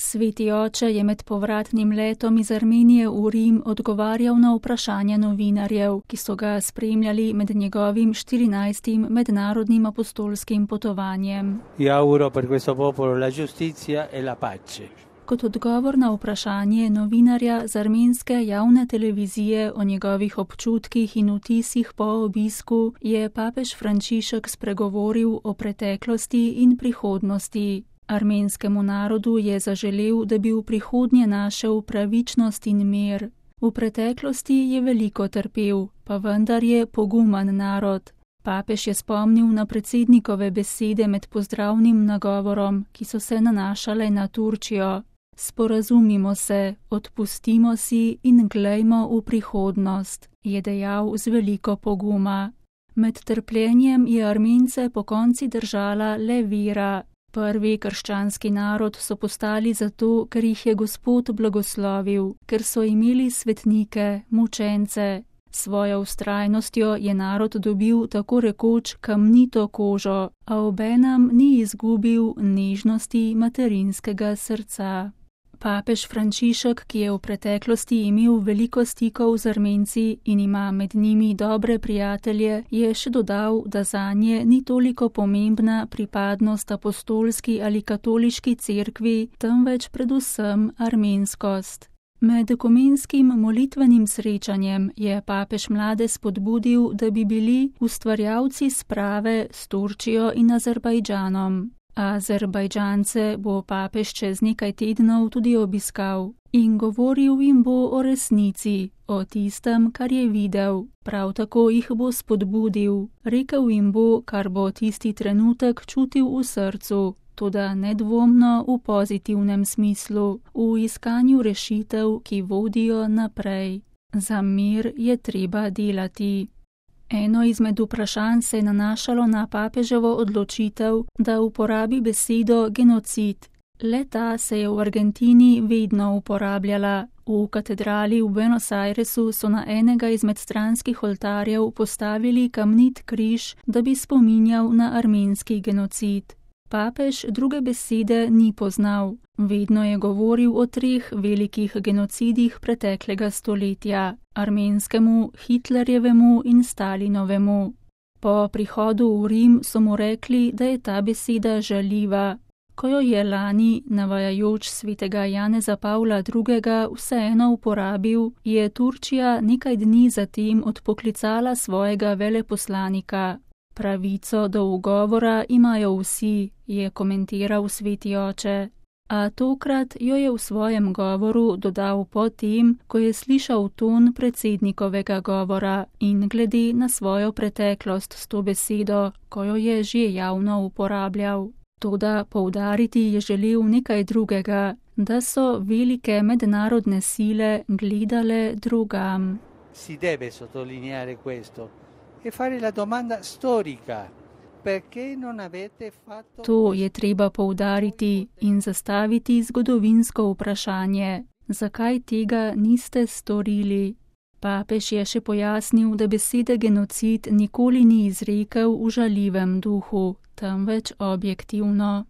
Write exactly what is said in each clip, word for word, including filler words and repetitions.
Sveti oče je med povratnim letom iz Armenije v Rim odgovarjal na vprašanja novinarjev, ki so ga spremljali med njegovim štirinajstim mednarodnim apostolskim potovanjem. Kot odgovor na vprašanje novinarja z armenske javne televizije o njegovih občutkih in vtisih po obisku, je papež Frančišek spregovoril o preteklosti in prihodnosti. Armenskemu narodu je zaželel, da bi v prihodnje našel pravičnost in mir. V preteklosti je veliko trpel, pa vendar je poguman narod. Papež je spomnil na predsednikove besede med pozdravnim nagovorom, ki so se nanašale na Turčijo. Sporazumimo se, odpustimo si in glejmo v prihodnost, je dejal z veliko poguma. Med trpljenjem je Armence pokonci držala le vera. Prvi krščanski narod so postali zato, ker jih je Gospod blagoslovil, ker so imeli svetnike, mučence. Svojo vztrajnostjo je narod dobil tako rekoč kamnito kožo, a obenem ni izgubil nežnosti materinskega srca. Papež Frančišek, ki je v preteklosti imel veliko stikov z Armenci in ima med njimi dobre prijatelje, je še dodal, da zanje ni toliko pomembna pripadnost apostolski ali katoliški cerkvi, temveč predvsem armenskost. Med ekumenskim molitvenim srečanjem je papež mlade spodbudil, da bi bili ustvarjalci sprave s Turčijo in Azerbajdžanom. Azerbajdžance bo papež čez nekaj tednov tudi obiskal in govoril jim bo o resnici, o tistem, kar je videl. Prav tako jih bo spodbudil, rekel jim bo, kar bo tisti trenutek čutil v srcu, toda nedvomno v pozitivnem smislu, v iskanju rešitev, ki vodijo naprej. Za mir je treba delati. Eno izmed vprašanj se je nanašalo na papeževo odločitev, da uporabi besedo genocid. Le-ta se je v Argentini vedno uporabljala. V katedrali v Buenos Airesu so na enega izmed stranskih oltarjev postavili kamnit križ, da bi spominjal na armenski genocid. Papež druge besede ni poznal. Vedno je govoril o treh velikih genocidih preteklega stoletja, armenskemu, Hitlerjevemu in Stalinovemu. Po prihodu v Rim so mu rekli, da je ta beseda žaljiva. Ko jo je lani, navajajoč svetega Janeza Pavla drugega, vseeno uporabil, je Turčija nekaj dni zatem odpoklicala svojega veleposlanika. Pravico do ugovora imajo vsi, je komentiral sveti oče. A tokrat jo je v svojem govoru dodal po tem, ko je slišal ton predsednikovega govora in glede na svojo preteklost s to besedo, ko jo je že javno uporabljal. Toda poudariti je želel nekaj drugega, da so velike mednarodne sile gledale drugam. Si deve sottolineare questo e fare la domanda storica. To je treba poudariti in zastaviti zgodovinsko vprašanje, zakaj tega niste storili. Papež je še pojasnil, da besede genocid nikoli ni izrekel v žaljivem duhu, temveč objektivno.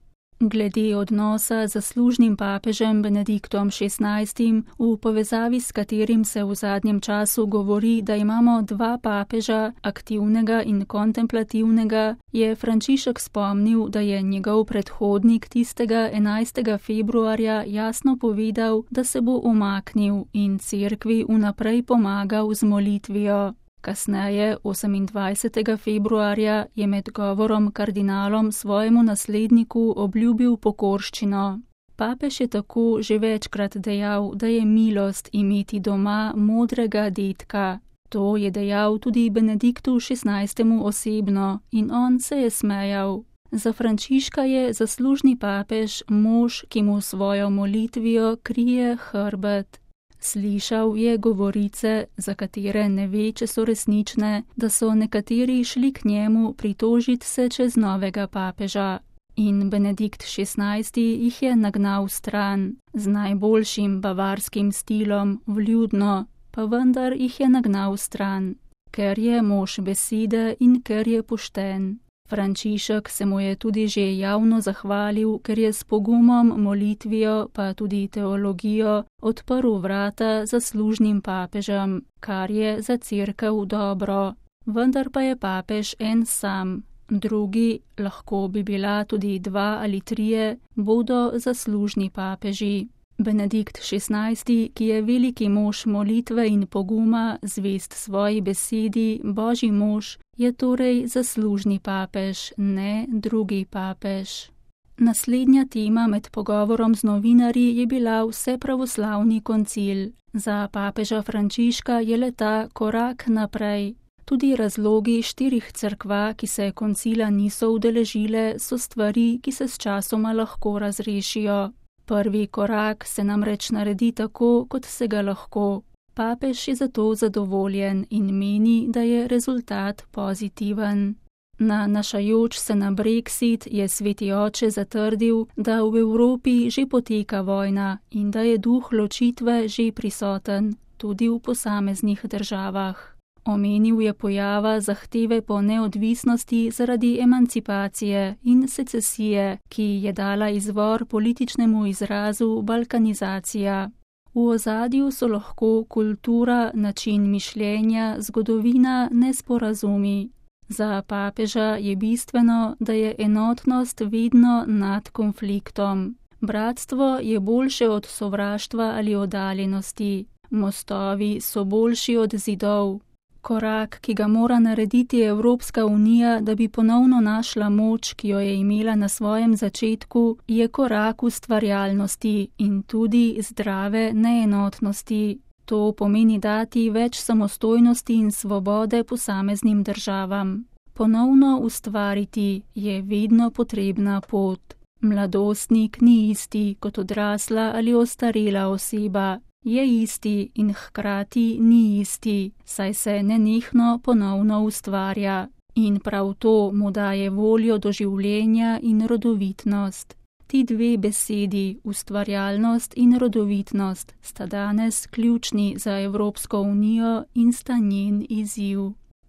Glede odnosa z zaslužnim papežem Benediktom šestnajstim, v povezavi s katerim se v zadnjem času govori, da imamo dva papeža, aktivnega in kontemplativnega, je Frančišek spomnil, da je njegov predhodnik tistega enajstega februarja jasno povedal, da se bo umaknil in cerkvi vnaprej pomagal z molitvijo. Kasneje, osemindvajsetega februarja, je med govorom kardinalom svojemu nasledniku obljubil pokorščino. Papež je tako že večkrat dejal, da je milost imeti doma modrega dedka. To je dejal tudi Benediktu šestnajstemu osebno in on se je smejal. Za Frančiška je zaslužni papež mož, ki mu svojo molitvijo krije hrbet. Slišal je govorice, za katere ne ve, če so resnične, da so nekateri šli k njemu pritožiti se čez novega papeža. In Benedikt šestnajsti jih je nagnal stran, z najboljšim bavarskim stilom, vljudno, pa vendar jih je nagnal stran, ker je mož besede in ker je pošten. Frančišek se mu je tudi že javno zahvalil, ker je s pogumom, molitvijo pa tudi teologijo odprl vrata zaslužnim papežem, kar je za cerkev dobro. Vendar pa je papež en sam, drugi, lahko bi bila tudi dva ali trije, bodo zaslužni papeži. Benedikt šestnajsti, ki je veliki mož molitve in poguma, zvest svoji besedi, božji mož, je torej zaslužni papež, ne drugi papež. Naslednja tema med pogovorom z novinarji je bila vsepravoslavni koncil. Za papeža Frančiška je leta korak naprej. Tudi razlogi štirih cerkva, ki se koncila niso udeležile, so stvari, ki se s časoma lahko razrešijo. Prvi korak se namreč naredi tako, kot se ga lahko. Papež je zato zadovoljen in meni, da je rezultat pozitiven. Nanašajoč se na Brexit je sveti oče zatrdil, da v Evropi že poteka vojna in da je duh ločitve že prisoten, tudi v posameznih državah. Omenil je pojava zahteve po neodvisnosti zaradi emancipacije in secesije, ki je dala izvor političnemu izrazu balkanizacija. V ozadju so lahko kultura, način mišljenja, zgodovina, nesporazumi. Za papeža je bistveno, da je enotnost vedno nad konfliktom. Bratstvo je boljše od sovraštva ali oddaljenosti. Mostovi so boljši od zidov. Korak, ki ga mora narediti Evropska unija, da bi ponovno našla moč, ki jo je imela na svojem začetku, je korak ustvarjalnosti in tudi zdrave neenotnosti. To pomeni dati več samostojnosti in svobode posameznim državam. Ponovno ustvariti je vedno potrebna pot. Mladostnik ni isti kot odrasla ali ostarela oseba. Je isti in hkrati ni isti, saj se nenehno ponovno ustvarja. In prav to mu daje voljo do življenja in rodovitnost. Ti dve besedi, ustvarjalnost in rodovitnost, sta danes ključni za Evropsko unijo in sta njen izziv.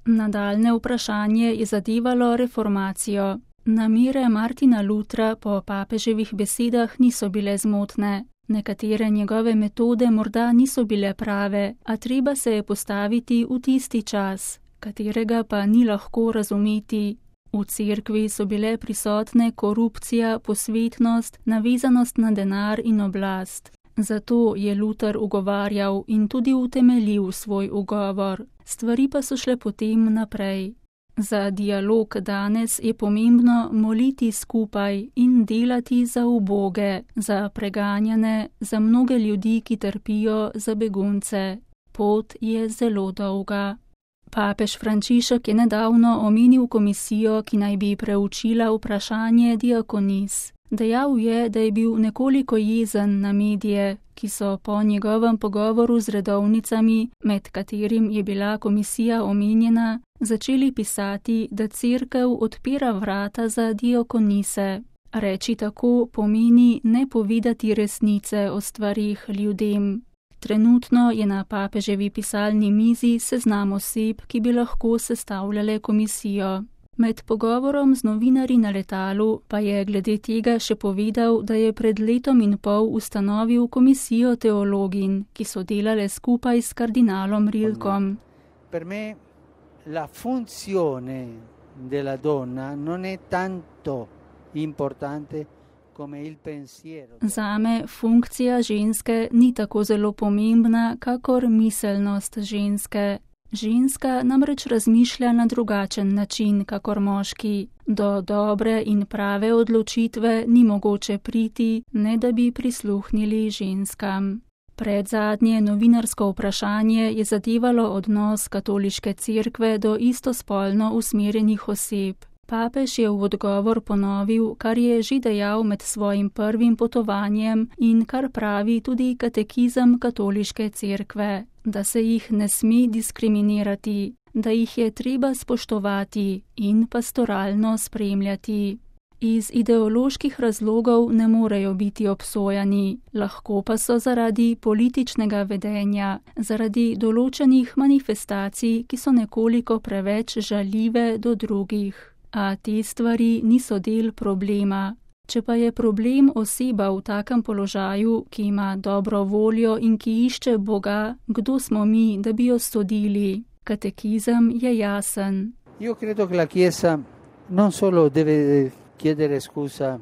Nadaljne vprašanje je zadevalo reformacijo. Namere Martina Lutra po papeževih besedah niso bile zmotne. Nekatere njegove metode morda niso bile prave, a treba se je postaviti v tisti čas, katerega pa ni lahko razumeti. V cerkvi so bile prisotne korupcija, posvetnost, navezanost na denar in oblast. Zato je Luter ugovarjal in tudi utemeljil svoj ugovor. Stvari pa so šle potem naprej. Za dialog danes je pomembno moliti skupaj in delati za uboge, za preganjane, za mnoge ljudi, ki trpijo, za begunce. Pot je zelo dolga. Papež Frančišek je nedavno omenil komisijo, ki naj bi preučila vprašanje diakonis. Dejal je, da je bil nekoliko jezen na medije, ki so po njegovem pogovoru z redovnicami, med katerim je bila komisija omenjena, začeli pisati, da cerkev odpira vrata za diakonise. Reči tako pomeni ne povedati resnice o stvarih ljudem. Trenutno je na papeževi pisalni mizi seznam oseb, ki bi lahko sestavljale komisijo. Med pogovorom z novinarji na letalu pa je glede tega še povedal, da je pred letom in pol ustanovil komisijo teologin, ki so delale skupaj s kardinalom Rilkom. Per me la funzione della donna non è tanto importante come il pensiero. Zame funkcija ženske ni tako zelo pomembna, kakor miselnost ženske. Ženska namreč razmišlja na drugačen način, kakor moški. Do dobre in prave odločitve ni mogoče priti, ne da bi prisluhnili ženskam. Predzadnje novinarsko vprašanje je zadevalo odnos katoliške cerkve do istospolno usmerjenih oseb. Papež je v odgovor ponovil, kar je že dejal med svojim prvim potovanjem in kar pravi tudi katekizem katoliške cerkve, da se jih ne sme diskriminirati, da jih je treba spoštovati in pastoralno spremljati. Iz ideoloških razlogov ne morejo biti obsojani, lahko pa so zaradi političnega vedenja, zaradi določenih manifestacij, ki so nekoliko preveč žaljive do drugih. a te stvari niso del problema. Če pa je problem oseba v takem položaju, ki ima dobro voljo in ki išče Boga, kdo smo mi, da bi jo sodili? Katekizem je jasen. Io credo che la Chiesa non solo deve chiedere scusa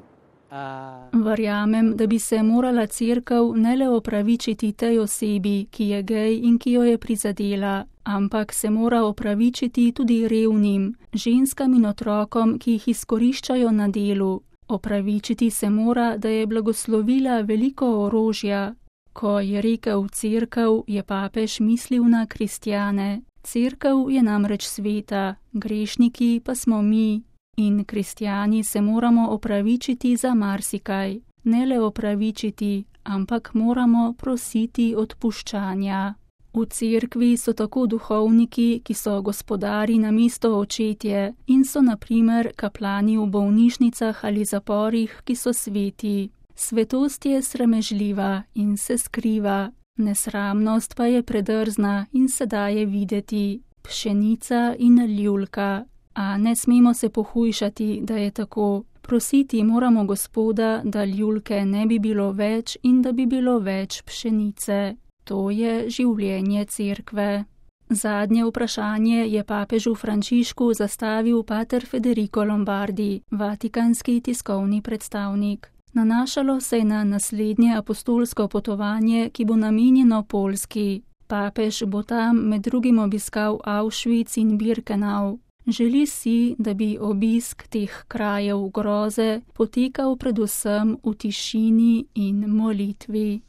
a... Verjamem, da bi se morala cerkev ne le opravičiti tej osebi, ki je gej in ki jo je prizadela, ampak se mora opravičiti tudi revnim, ženskam in otrokom, ki jih izkoriščajo na delu. Opravičiti se mora, da je blagoslovila veliko orožja. Ko je rekel cerkev, je papež mislil na kristjane. Cerkev je namreč sveta, grešniki pa smo mi. In kristjani se moramo opravičiti za marsikaj. Ne le opravičiti, ampak moramo prositi odpuščanja. V cerkvi so tako duhovniki, ki so gospodari namesto očetje in so na primer kaplani v bolnišnicah ali zaporih, ki so sveti. Svetost je sramežljiva in se skriva, nesramnost pa je predrzna in se daje videti. Pšenica in ljulka. A ne smemo se pohujšati, da je tako. Prositi moramo Gospoda, da ljulke ne bi bilo več in da bi bilo več pšenice. To je življenje cerkve. Zadnje vprašanje je papežu Frančišku zastavil pater Federico Lombardi, vatikanski tiskovni predstavnik. Nanašalo se je na naslednje apostolsko potovanje, ki bo namenjeno Poljski. Papež bo tam med drugim obiskal Auschwitz in Birkenau. Želi si, da bi obisk teh krajev groze potekal predvsem v tišini in molitvi.